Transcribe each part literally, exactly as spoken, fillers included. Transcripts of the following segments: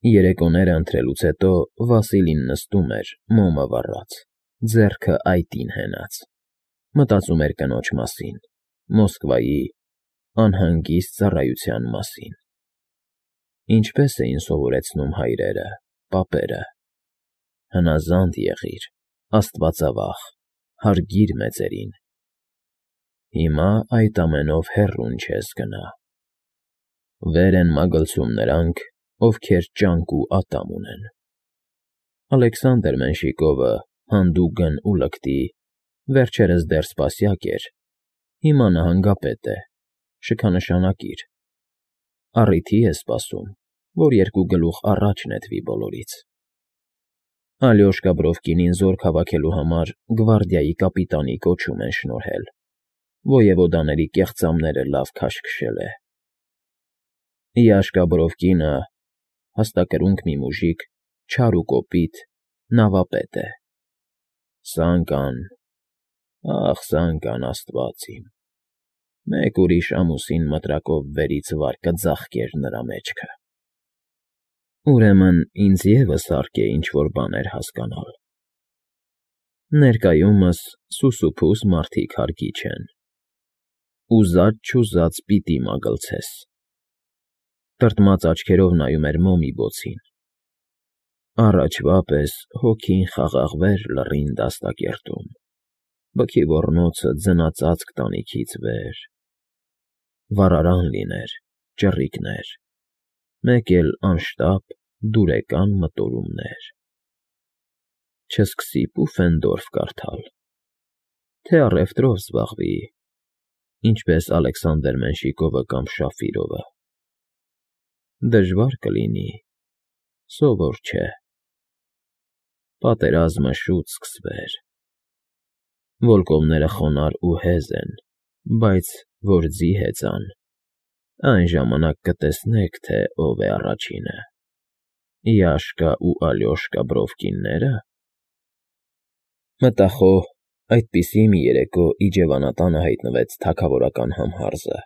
Երեկոները ընթրելուց հետո Վասիլին նստում էր, մոմը վառած, ձեռքը այտին հենած, մտածում էր կնոջ մասին, Մոսկվայի, անհանգիստ ծառայության մասին. ինչպես էին սովորեցնում հայրերը, պապերը. հնազանդ եղիր, աստվածավախ, հարգիր մեծերին, հիմա այդ ամենով հեռուն չես գնա, վեր են մագլցում նրանք, ովքեր ճանկ ու ատամ ունեն. Ալեքսանդր Մենշիկովը հանդուգն ու լկտի, վերջերս դեռ սպասյակ էր, հիմա նահանգապետ է, շքանշանակիր, առիթի է սպասում, որ երկու գլուխ առաջ նետվի բոլորից. Ալյոշկա Բրովկինին զորք հավաքելու համար գվարդիայի կապիտանի կոչում են շնորհել, ոյևոդաների կեղծամները լավ քաշքշել է. Յաշկա Բրովկինը, հաստակրունք մի մուժիկ, չար ու կոպիտ, նավապետ է, Սանկան, ախ Սանկան, աստված իմ, մեկ ուրիշ ամուսին մտրակով վերից վար կձաղկեր նրա մեջքը, ուրեմն ինձ ևս հարկ է ինչ֊որ բաներ հասկանալ, ներկայումս սուսուփուս մարդիկ հարկի չեն, ուզած֊չուզած պիտի մագլցես, տրտմած աչքերով նայում էր մոմի բոցին, առաջվա պես հոգին խաղաղվեր լռին դաստակերտում, բքի ոռնոցը ձնածածկ տանիքից վեր, վառարան լիներ, ճռիկներ, մեկ էլ անշտապ դուրեկան մտորումներ, չսկսի Պուֆենդորֆ կարդալ, թե առևտրով զբաղվի, ինչպես Ալեքսանդր Մենշիկովը կամ Շաֆիրովը, դժվար կլինի, սովոր չէ, պատերազմը շուտ սկսվեր, վոլկովները խոնարհ ու հեզ են, բայց որ ձի հեծան, այն ժամանակ կտեսնեք, թե ով է առաջինը, Յաշկա ու Ալյոշկա Բրովկիննե՞րը… Մտախոհ, այդպիսի մի երեկո իջևանատանը հայտնվեց թագավորական համհարզը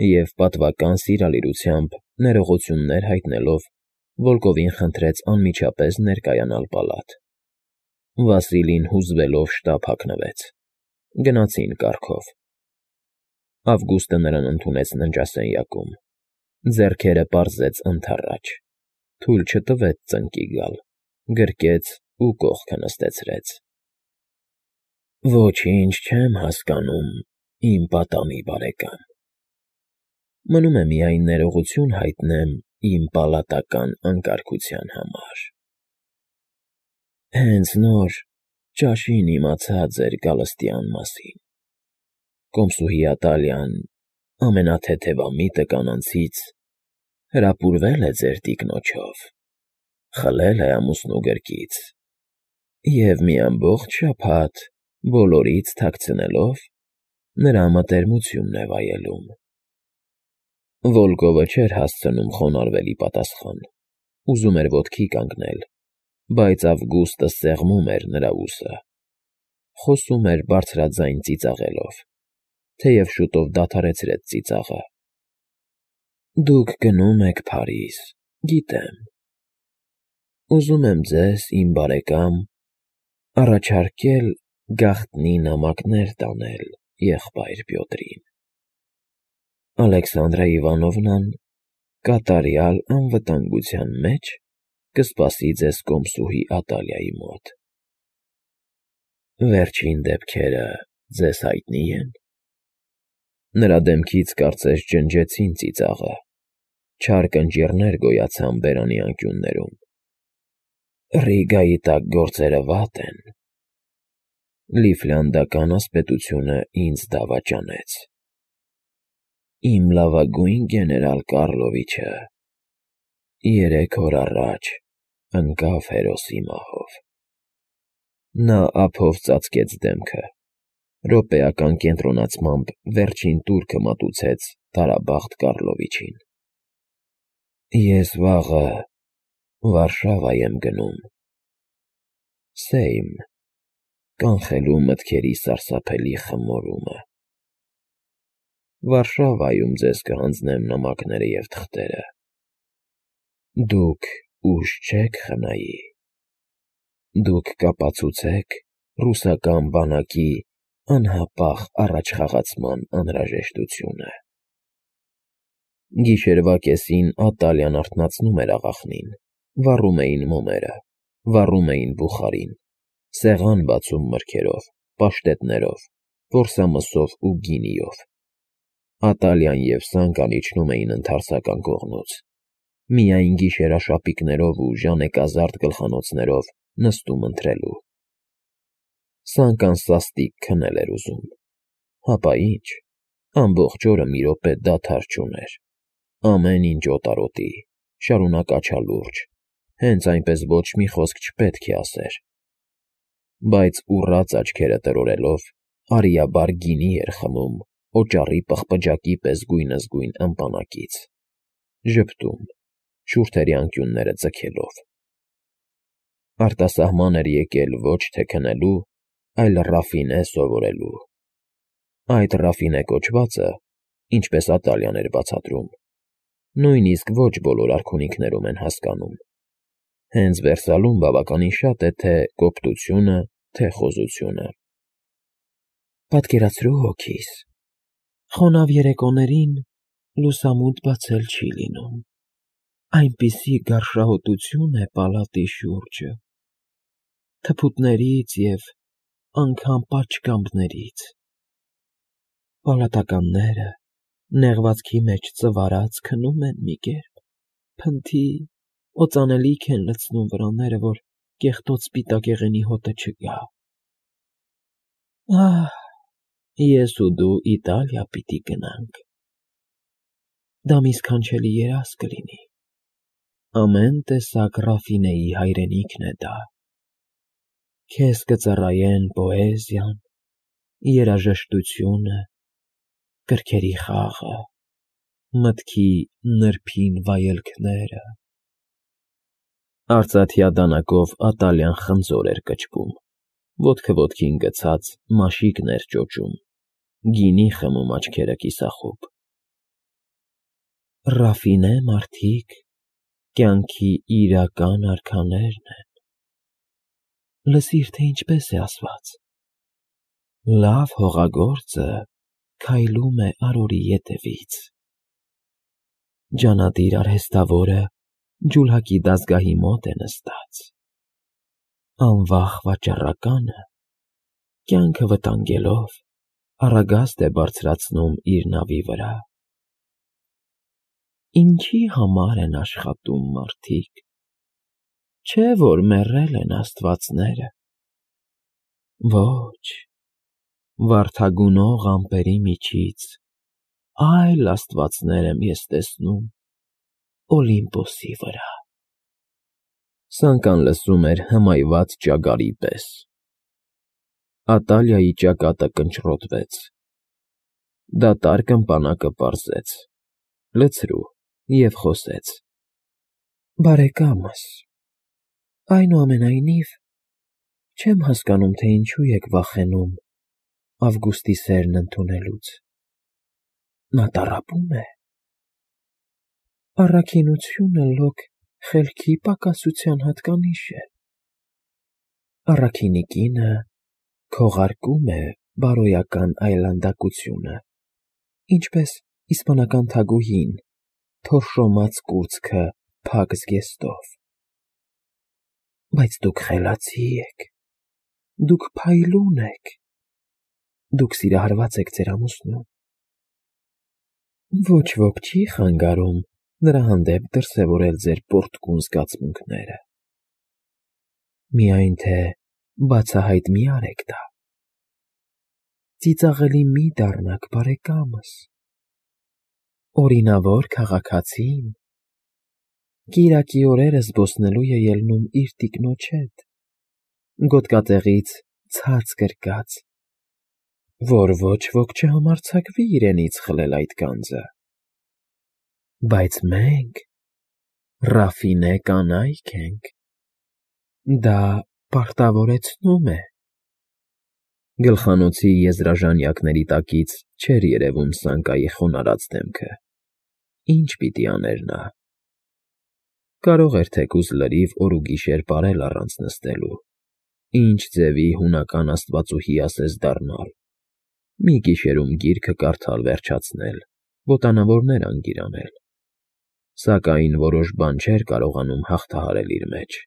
և պատվական սիրալիրությամբ ներողություններ հայտնելով Վոլկովին խնդրեց անմիջապես ներկայանալ պալատ, Վասիլին հուզվելով շտապ հագնվեց, գնացին կառքով, Ավգուստը նրան ընդունեց ննջասենյակում, ձեռքերը պարզեց ընդառաջ, թույլ չտվեց ծնկի գալ, գրկեց ու կողքը նստեցրեց. Ոչինչ չեմ հասկանում, իմ պատամի բարեկամ, մնում է միայն ներողություն հայտնեմ իմ պալատական անկարգության համար, հենց նոր ճաշին իմացա ձեր գալստյան մասին, կոմսուհի Ատալյան, ամենաթեթևամիտը կանանցից, հրապուրվել է ձեր տիկնոջով, խլել է ամուսնու գրկից և մի ամբողջ շաբաթ բոլորից թաքցնելով, նրա մտերմությունն է վայելում… Վոլկովը չէր հասցնում խոնարհվել ի պատասխան, ուզում էր ոտքի կանգնել, բայց Ավգուստը սեղմում էր նրա ուսը, խոսում էր բարձրաձայն ծիծաղելով, թեև շուտով դադարեցրեց ծիծաղը. Դուք գնում եք Փարիզ, գիտեմ, ուզում եմ ձեզ, իմ բարեկամ, առաջարկել գաղտնի նամակներ տանել եղբայր Պյոտրին, Ալեքսանդրա Իվանովնան կատարյալ անվտանգության մեջ կսպասի ձեզ կոմսուհի Ատալիայի մոտ… Վերջին դեպքերը ձեզ հայտնի են… Նրա դեմքից կարծես ջնջեցին ծիծաղը, չար կնճիռներ գոյացան բերանի անկյուններում… Ռիգայի տակ գործերը վատ են… Լիֆլանդական ասպետությունը ինձ դավաճանեց… Իմ լավագույն գեներալ Կառլովիչը երեք օր առաջ ընկավ հերոսի մահով… Նա ափով ծածկեց դեմքը, րոպեական կենտրոնացմամբ վերջին տուրքը մատուցեց Տարաբաղտ Կառլովիչին… Ես վաղը Վարշավա եմ գնում… Սեյմ, կանխելու մտքերի սարսափելի խմորումը… Վարշավայում ձեզ կհանձնեմ նամակները և թղթերը… Դուք ուժ չեք խնայի, դուք կապացուցեք ռուսական բանակի անհապաղ առաջխաղացման անհրաժեշտությունը։ Գիշերվա կեսին Ատալյան արթնացնում էր աղախնին, վառում էին մոմերը, վառում էին բուխարին, սեղան բացում մրգերով, պաշտետներով, որսամսով ու գինիով։ Ատալյան և Սանկան իջնում էին ընդարձական կողմուց, միայն գիշերաշապիկներով ու ժանեկազարդ գլխանոցներով նստում ընթրելու։ Սանկան սաստիկ քնել էր ուզում, հապա ինչ, ամբողջ օրը մի րոպե դադար չուներ, ամեն ինչ օտարոտի, շարունակաչալուրջ, հենց այնպես ոչ մի խոսք չպետք է ասեր։ Բայց ուռած աչքերը տրորելով, արիաբար գինի էր խմում օճառի պղպջակի պես գույնզգույն ըմպանակից, ժպտում, շուրթերի անկյունները ձգելով։ Արտասահման էր եկել ոչ թե քնելու, այլ Ռաֆինե սովորելու։ Այդ Ռաֆինե կոչվածը, ինչպես Ատալյան էր բացատրում, նույնիսկ ոչ բոլոր արքունիքներում են հասկանում։ Հենց Վերսալում բավականին շատ է թե կոպտությունը, թե խոզությունը։ Պատկերացրու հոգիս, խոնավ երեկոներին լուսամուտ բացել չի լինում, այնպիսի գարշահոտություն է պալատի շուրջը, թփուտներից և անգամ պատշգամբներից, պալատականները նեղվածքի մեջ ծվարած քնում են մի կերպ, փնթի, օծանելիք են լցնում վրանները, որ կեղտոտ սպիտակեղենի հոտը չգա։ Ահ, ես ու դու Իտալիա պիտի գնանք, դա մի սքանչելի երազ կլինի, ամեն տեսակ Ռաֆինեի հայրենիքն է դա, քեզ կծառայեն պոեզիան, երաժշտությունը, գրքերի խաղը, մտքի նրբին վայելքները։ Արծաթյա դանակով Ատալյան խնձոր էր կչկում, ոտքը ոտքին գցած մաշիկներ ճոճում, գինի խմում աչքերը կիսախոբ։ Ռաֆինե մարդիկ կյանքի իրական արքաներն են։ Լսիր, թե ինչպես է ասված. լավ հողագործը քայլում է արորի ետևից, ջանադիր արհեստավորը ջուլհակի դազգահի մոտ է նստած, անվախ վաճառականը, կյանքը վտանգելով, առագաստ է բարձրացնում իր նավի վրա։ Ինչի համար են աշխատում մարդիկ, չէ՞ որ մեռել են աստվածները։ Ոչ, վարդագունող ամպերի միջից այլ աստվածներ եմ ես տեսնում Օլիմպոսի վրա։ Սանկան լսում էր հմայված ճագարի պես։ Ատալիայի ճակատը կնճռոտվեց։ Դատարկ ըմպանակը պարզեց, լցրու և խոսեց. Բարեկամս, այնուամենայնիվ, չեմ հասկանում, թե ինչու եք վախենում Ավգուստի սերն ընդունելուց. նա տառապում է։ Առաքինությունը լոկ խելքի պակասության հատկանիշ է։ Առաքինի կինը քողարկում է բարոյական այլանդակությունը, ինչպես իսպանական թագուհին թորշոմած կուրծքը փակ զգեստով։ Բայց դուք խելացի եք, դուք փայլուն եք, դուք սիրահարված եք ձեր ամուսնուն։ Ոչ ոք չի խանգարում նրա հանդեպ դրսևորել ձեր պոռթկուն զգացմունքները։ Միայն թե բացահայտ մի արեք դա։ Ծիծաղելի մի դառնաք, բարեկամս։ Օրինավոր քաղաքացին կիրակի օրերը զբոսնելու է ելնում իր տիկնոջ հետ, գոտկատեղից ցած գրկած, որ ոչ ոք չհամարձակվի իրենից խլել այդ գանձը։ Բայց մենք Ռաֆինե կանայք ենք, դա պարտավորեցնում է։ Գլխանոցի եզրաժանյակների տակից չէր երևում Սանկայի խոնարհած դեմքը։ Ինչ պիտի աներ նա։ Կարող էր թեկուզ լրիվ օր ու գիշեր պարել առանց նստելու, ինչ ձևի հունական աստվածուհի ասես դառնալ, մի գիշերում գիրքը կարդալ վերջացնել, ոտանավորներ անգիր անել, սակայն որոշ բան չէր կարողանում հաղթահարել իր մեջ.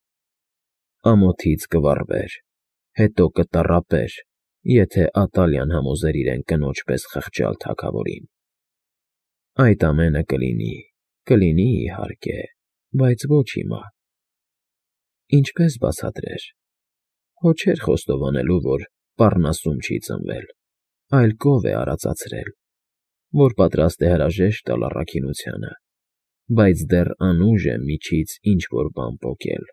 ամոթից կվառվեր, հետո կտառապեր, եթե Ատալիան համոզեր իրեն կնոջ պես խղճալ թագավորին։ Այդ ամենը կլինի, կլինի, իհարկե, բայց ոչ հիմա։ Ինչպես բացատրեր։ Հո չէր խոստովանելու, որ Պառնասում չի ծնվել, այլ կով է արածացրել, որ պատրաստ է հրաժեշտ տալ առաքինությանը, բայց դեռ անուժ է միջից ինչ֊որ բան պոկել,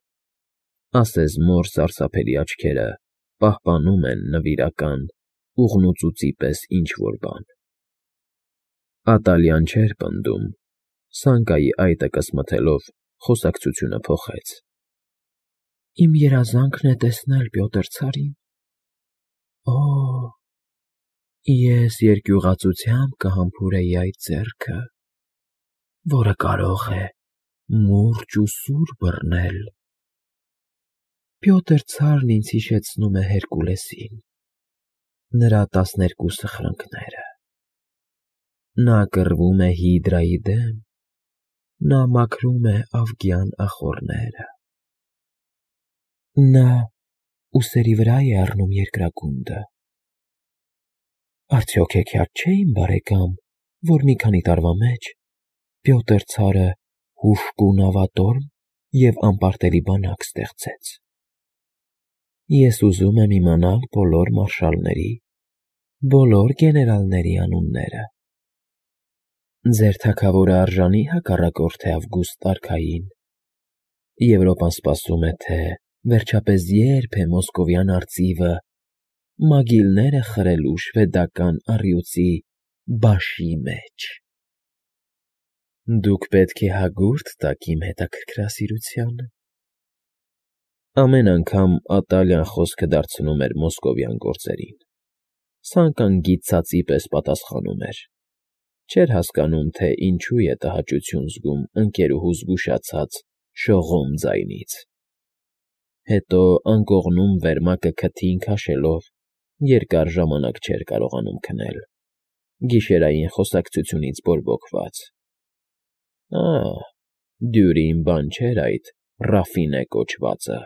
ասես մոր սարսափելի աչքերը պահպանում են նվիրական, ուղնուծուծի պես ինչ֊որ բան։ Ատալիան չէր պնդում, Սանկայի այտը կսմթելով խոսակցությունը փոխեց. Իմ երազանքն է տեսնել Պյոտր ցարին։ Օ՜, ես երկյուղածությամբ կհամբուրեի այդ ձեռքը, որը կարող է մուրճ ու սուր բռնել։ Պյոտր ցարն ինձ հիշեցնում է Հերկուլեսին, նրա տասներկու սխրունքները։ Նա կռվում է Հիդրայի դեմ, նա մաքրում է ավգյան ախոռները։ Նա ուսերի վրա է առնում երկրագունդը։ Արդյոք հեքիաթ չէ, իմ բարեկամ, որ մի քանի տարվա մեջ Պյոտր ցարը հուժկու նավատորմ և անպարտելի բանակ ստեղծեց։ Ես ուզում եմ իմանալ բոլոր մարշալների, բոլոր գեներալների անունները։ Ձեր թագավորը արժանի հակառակորդ է Ավգուստ արքային։ Եվրոպան սպասում է, թե վերջապես երբ է մոսկովյան արծիվը մագիլները խրելու շվեդական առյուծի բաշի մեջ։ Դուք պետք է հագուրդ տաք իմ հետաքրքրասիրությանը։ Ամեն անգամ Ատալիան խոսքը դարձնում էր մոսկովյան գործերին, Սանկան գիծածի պես պատասխանում էր, չէր հասկանում, թե ինչու է տհաճություն զգում ընկերուհու զգուշացած շողոմ ձայնից։ Հետո անկողնում վերմակը քթին քաշելով երկար ժամանակ չէր կարողանում քնել, գիշերային խոսակցությունից բորբոքված։ Ա՜, դյուրին բան չէր այդ Ռաֆինե կոչվածը։